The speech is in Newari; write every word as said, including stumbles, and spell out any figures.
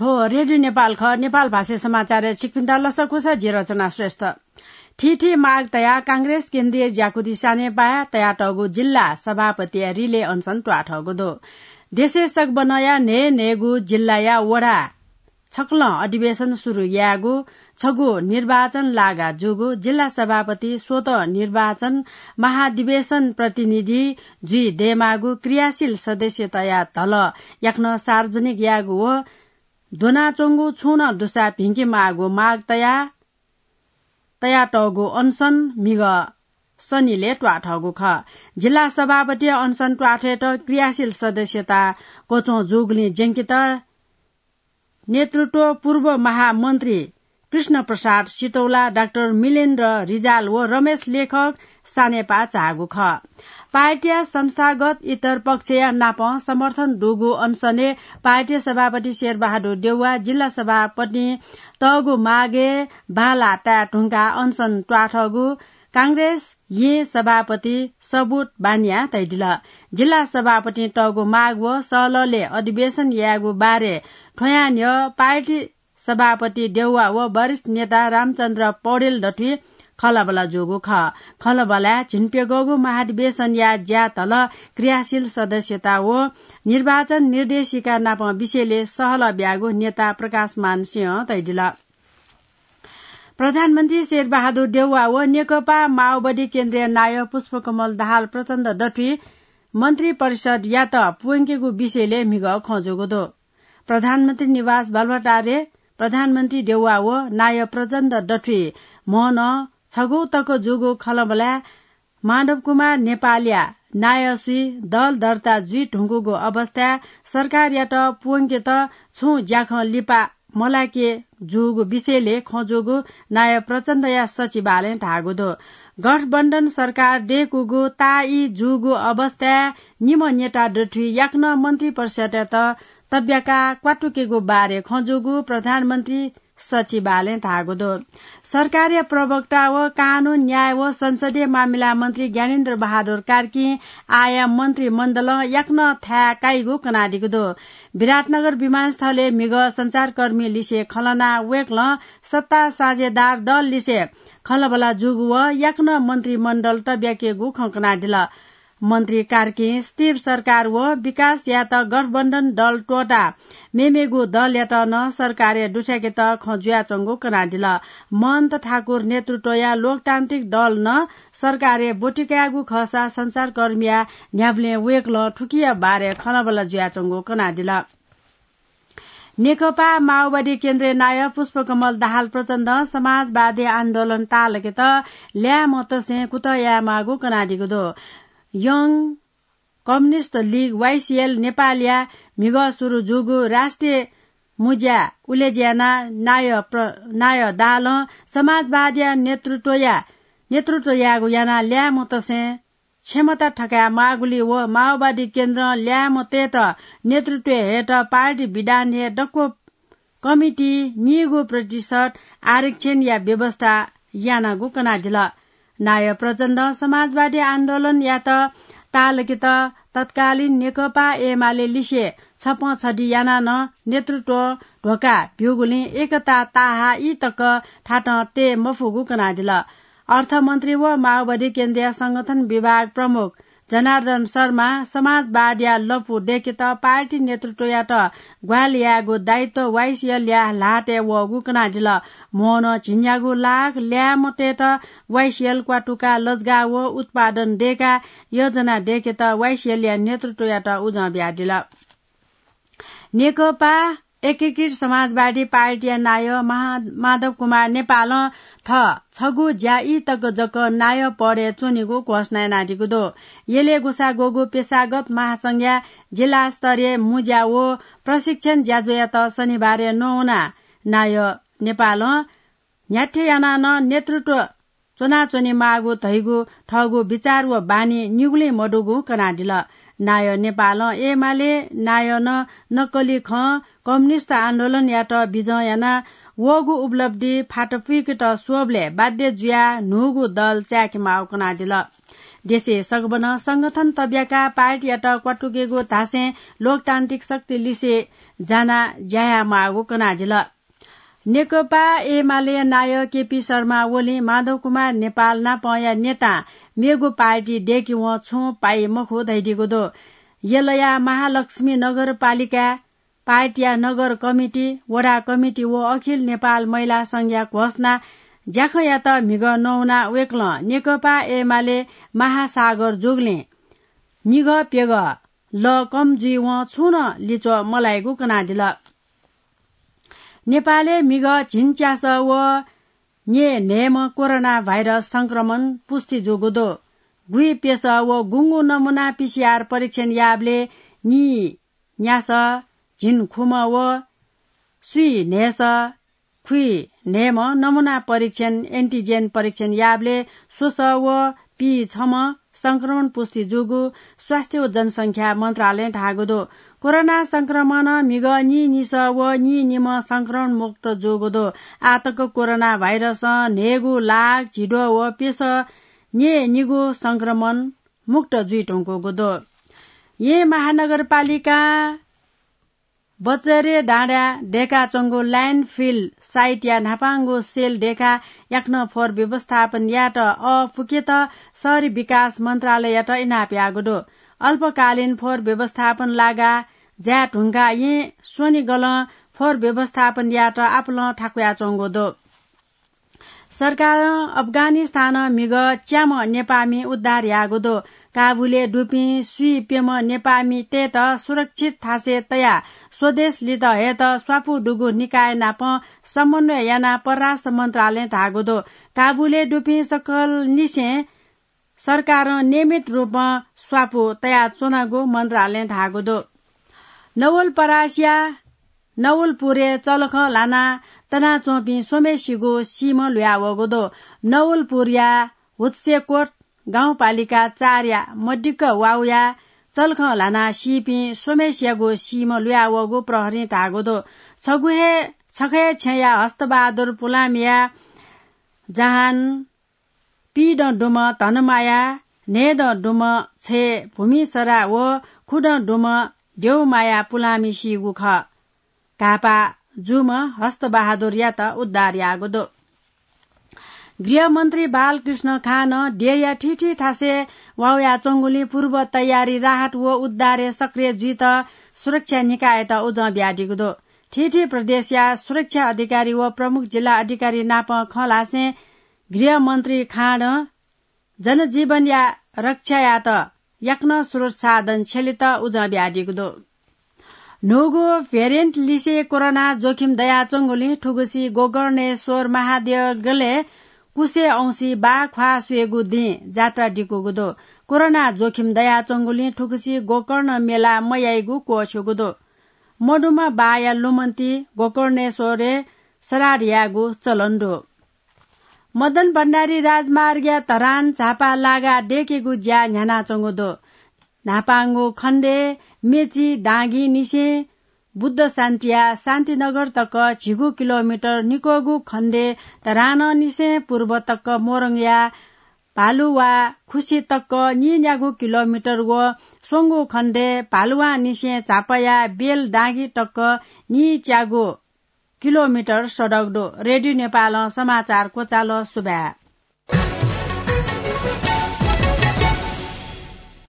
थ्व रेडियो नेपाल खः। नेपाल भाषा समाचारय् छिकपिन्त लसकुस, जि रचना श्रेष्ठ। थीथी माग तयाः कांग्रेस केन्द्रीय ज्याकुथि सानेपाः तयातःगु जिल्ला सभापतिया रिले अनसन त्वाःथःगु दु। देशय् सकबनया न्हय् न्हय्गू जिल्लाया वडा छकलं अधिवेशन सुरु यायेगु, छगू निर्वाचन लागा जूगु, जिल्ला सभापति स्वतः निर्वाचन, महाधिवेशन प्रतिनिधि जुइ दयेमाःगु, क्रियाशील सदस्यताया धलः याकनं सार्वजनिक यायेगु व द्वनाच्वंगु छुं नं दुसा भिंके माःगु माग तया, तयातःगु अनसन म्हिगः सनिलय् त्वाःथःगु खः। जिल्ला सभापति अनसन त्वाःथय्‌त क्रियाशील सदस्यता क्वच्वं जूगुलिं ज्यंकेत नेतृत्व पूर्व महामन्त्री कृष्ण प्रसाद सितौला, डाक्टर मिलेन्द्र रिजाल व रमेश लेखक सानेपाः झाःगु खः। पार्टीया संस्थागत इतर पक्षया नाप समर्थन दुगु अनसनय् पार्टी सभापति शेरबहादुर देउवा, जिल्ला सभापतिं तःगु मागय् बांलाः ताये धुंकाः अनसन त्वाःथःगु कांग्रेस येँ सभापति सबुत बानियां तयादिल। जिल्ला सभापतिं तःगु माग व सहलहलय् अधिवेशन यायेगु बारे थ्वयां न्ह्यः पार्टी सभापति देउवा व वरिष्ठ नेता रामचन्द्र पौडेल दथुइ खँल्हाबल्हा जूगु खः। खँल्हाबल्हाय् झिंप्यघौगु महाधिवेशनया ज्यातल, क्रियाशील सदस्यता व निर्वाचन निर्देशिका नाप विषयलय् सहलह ब्यागु नेता प्रकाशमान सिंहं तयादिल। प्रधानमन्त्री शेरबहादुर देउवा व नेकपा माओवादी केन्द्रीय नायः पुष्पकमल दाहाल प्रचण्ड दथुइ मन्त्री परिषदयात प्वंकेगु विषयलय् म्हिगः खँ जूगु दु। प्रधानमन्त्री निवास बालुवाटारय् प्रधानमन्त्री देउवा व नायः प्रचण्ड दथुइ म्हनं छगू तक जूगु खँल्हाबल्हाय् माधव कुमार नेपालया नायःसुइ दल दर्ता जुइ धुंकूगु अवस्थाय् सरकारयात प्वंकेत छुं ज्याखँ लिपा मलाके जूगु विषयलय् खँ जूगु नायः प्रचण्डया सचिवालयं धाःगु दु। गठबन्धन सरकार दय्‌कूगु ताःई जूगु अवस्थाय् निम्ह नेता दथुइ याकनं मन्त्री परिषदयात तब्याकाः क्वातुकेगु बारे खँ जूगु प्रधानमन्त्री सचिवालयं धाःगु दु। सरकारया प्रवक्ता व कानून, न्याय व संसदीय मामिला मन्त्री ज्ञानेन्द्र बहादुर कार्कीं आःया मन्त्रीमण्डलं याकनं थाय् काइगु कनादीगु दु। विराटनगर विमानस्थलय् म्हिगः सञ्चारकर्मीलिसे खँ ल्हानाः वय्‌कलं सत्ता साझेदार दललिसे खँल्हाबल्हा जूगु व याकनं मन्त्रीमण्डल तब्याकेगु खँ कनादिल। मन्त्री कार्कीं स्थिर सरकार व विकास यायेत गठबन्धन दल त्वःताः मेमेगु दलयात नं सरकारय् दुथ्याकेत खँ जुयाच्वंगु कनादिल। महन्त ठाकुर नेतृत्वया लोकतान्त्रिक दल नं सरकारय् ब्वति कायेगु खःसा सञ्चारकर्मीया न्ह्याबलें वय्‌कलं थुकिया बारे खँल्हाबल्हा जुयाच्वंगु कनादिल। नेकपा माओवादी केन्द्रीय नायः पुष्पकमल दाहाल प्रचण्डं समाजवादी आन्दोलन ताःलाकेत ल्याय्‌म्हतसें कुतः यायेमाःगु कनादीगु दु। Young Communist League, वाइसिएल, नेपालया म्हिगः सुरु जूगु राष्ट्रिय मुज्या उलेज्यानाः नायः प्र-, नायः दाहालं समाजवादीया नेतृत्वया, नेतृत्व यायेगु यानाः ल्याय्‌म्हतसें क्षमता थकायेमाःगुलिइ व माओवादी केन्द्रं ल्याय्‌म्हतय्‌त नेतृत्व हयेत पार्टी विधानय् दक्व कमिटी नीगू प्रतिशत आरक्षणया व्यवस्था यानागु कनादिल। नायः प्रचण्डं समाजवादी आन्दोलनयात ताःलाकेत तत्कालीन नेकपा एमाले लिसे छपँ छधि यानाः नं नेतृत्व ध्वका ब्यूगुलिं एकता ताहाई तक थातं तये मफुगु कनादिल। अर्थमन्त्री व माओवादी केन्द्रीय संगठन विभाग प्रमुख जनार्दन शर्मा समाजवादया लँपु दय्‌केत पार्टी नेतृत्वयात ग्वाहालि यायेगु दायित्व वाइसिएलया ल्हातय् वःगु कनादिल। म्हनं झिंन्यागू लाख ल्याय्‌म्हतय्‌त वाइसिएल क्वातुकाः लजगाः व उत्पादन दय्‌काः योजना दय्‌केत वाइसिएलया नेतृत्वयात उजं बियादिल। नेकपा एकीकृत समाजवादी पार्टीया नायः महा-, माधव कुमार नेपालं थः छगू ज्याई तक जक नायः पदय् च्वनेगु घोषणा यानादीगु दु। यलय् ग्वसाः ग्वःगु पेशागत महासंघया जिल्ला स्तरीय मुज्या व प्रशिक्षण ज्याझ्वःयात शनिबारय् नवानाः नायः नेपालं न्ह्याथे यानाः नं नेतृत्व च्वनाच्वनेमाःगु धइगु थःगु विचार व बानी निगुलिं मदुगु कनादिल। नायः नेपालं एमाले नायः नं नक्कली खँ कम्युनिस्ट आन्दोलनयात बिजं यानाः वःगु उपलब्धि फात पुइकेत स्वःबलय् बाध्य जुयाः न्हूगु दल चाय्‌केमाःगु कनादिल। देशय् सगबनं संगठन तब्याकाः पार्टीयात क्वातुकेगु धासें लोकतान्त्रिक शक्ति लिसे जानाः ज्या यायेमाःगु कनादिल। नेकपा एमालेया नायः केपी शर्मा ओलीं माधव कुमार नेपाल नापंया नेतां मेगु पार्टी दय्‌केवं छुं पाइ मखु धयादीगु दु। यलया महालक्ष्मी नगरपालिकाय् पार्टीया नगर कमिटी, वडा कमिटी व अखिल नेपाल महिला संघया घोषणा ज्याखँयात म्हिगः नवानाः वय्‌कलं नेकपा एमाले महासागर जूगुलिं निगः प्यगः लः कम जुइवं छुं नं लिच्वः मलाइगु कनादिल। नेपालय् म्हिगः झिंच्यासः व न्येन्हय्‌म्ह कोरोना भाइरस संक्रमण पुष्टि जूगु दु। गुइप्यसः व गुंगू नमुना पीसीआर परीक्षण याःबलय् नी न्यासः, झिंखुम्ह व स्वीन्हय्‌सः, खुइन्हय्‌म्ह नमुना परीक्षण, एन्टिजेन परीक्षण याःबलय् स्वसः व पीछम्ह संक्रमण पुष्टि जूगु स्वास्थ्य व जनसंख्या मन्त्रालयं धाःगु दु। कोरोना संक्रमणं म्हिगः नीनिसः व नीनिम्ह संक्रमण मुक्त जूगु दु। आः तक कोरोना भाइरसं न्हय्‌गू लाख झिद्वः व प्यसः न्येनिगू संक्रमण मुक्त जुइधुंकूगु दु। येँ महानगरपालिकां बचरे डाँडाय् दय्‌काच्वंगु ल्यान्डफिल साइटया न्हापांगु सेल दय्‌काः याकनं फोहोर व्यवस्थापन यायेत अःपुकेत शहरी विकास मन्त्रालययात इनाप याःगु दु। अल्पकालीन फोहोर व्यवस्थापन लागाः जाये धुंकाः येँ स्वनिगलं फोहोर व्यवस्थापन यायेत आपालं थाकुयाच्वंगु दु। सरकारं अफगानिस्तानं म्हिगः च्याम्ह नेपाःमि उद्धार याःगु दु। काबुलय् दुपिं स्वीप्यम्ह नेपाःमितय्‌त सुरक्षित थासय् तयाः स्वदेश लित हयेत स्वापू दुगु निकाय नाप समन्वय यानाः परराष्ट्र मन्त्रालयं धाःगु दु। काबुलय् दुपिं सकलनिसें सरकारं नियमित रूपं स्वापू तयाच्वनागु मन्त्रालयं धाःगु दु। नवलपरासीया नवलपुरय् चलखं ल्हानाः तनाच्वंपिं स्वम्हय्‌सिगु सीम्ह लुयावःगु दु। नवलपुरया हुत्सेकोट गाउँपालिका चारया मदिक्क वाउया चलखं ल्हानाः सीपिं स्वम्हय्‌सियागु सीम्ह लुयावःगु प्रहरीं धाःगु दु। छगू हे, छखय् छेँया हस्तबहादुर पुलांमिया जहान, पीदँ दुम्ह धनमाया, न्हय्‌दँ दुम्ह छय् भूमिसरा व खुदँ दुम्ह देउमाया पुलांमि सीगु खः। घाःपाः जूम्ह हस्तबहादुरयात उद्धार याःगु दु। गृहमन्त्री बालकृष्ण खानं देय्‌या थीथी थासय् वाउयाच्वंगुलिं पूर्व तयारी, राहत व उद्धारय् सक्रिय जुइत सुरक्षा निकाययात उजं बियादीगु दु। थीथी प्रदेशया सुरक्षा अधिकारी व प्रमुख जिल्ला अधिकारी नाप खँ ल्हासें गृहमन्त्री खानं जनजीवनया रक्षायात याकनं स्रोत साधन छ्यलेत उजं बियादीगु दु। न्हूगु भेरिएन्ट लिसे कोरोना जोखिम दयाच्वंगुलिं थुगुसी गोकर्णेश्वर महादेगलय् कुसे औंसी बाख्वाः स्वयेगु दिं जात्रा दिकूगु दु। कोरोना जोखिम दयाच्वंगुलिं थुगुसी गोकर्ण मेला मयाइगु क्वःछ्यूगु दु। मदुम्ह बाःया लुमन्ति गोकर्णेश्वरय् श्राद्ध यायेगु चलन दु। मदन भण्डारी राजमार्गया धरान झापा लागाः दय्‌केगु ज्या न्ह्यानाच्वंगु दु। न्हापांगु खण्डय् मेची दांगीनिसें बुद्ध शान्तिया शान्तिनगर तक झिगू किलोमिटर, निक्वःगु खण्डय् धरानंनिसें पूर्व तक मोरङया भालुवा खुसी तक नीन्यागू किलोमिटर व स्वंगू खण्डय् भालुवांनिसें झापाया बेल दांगी तक नीच्यागू किलोमिटर सडक दु। रेडियो नेपालं समाचार क्वचाल। सुभाय्।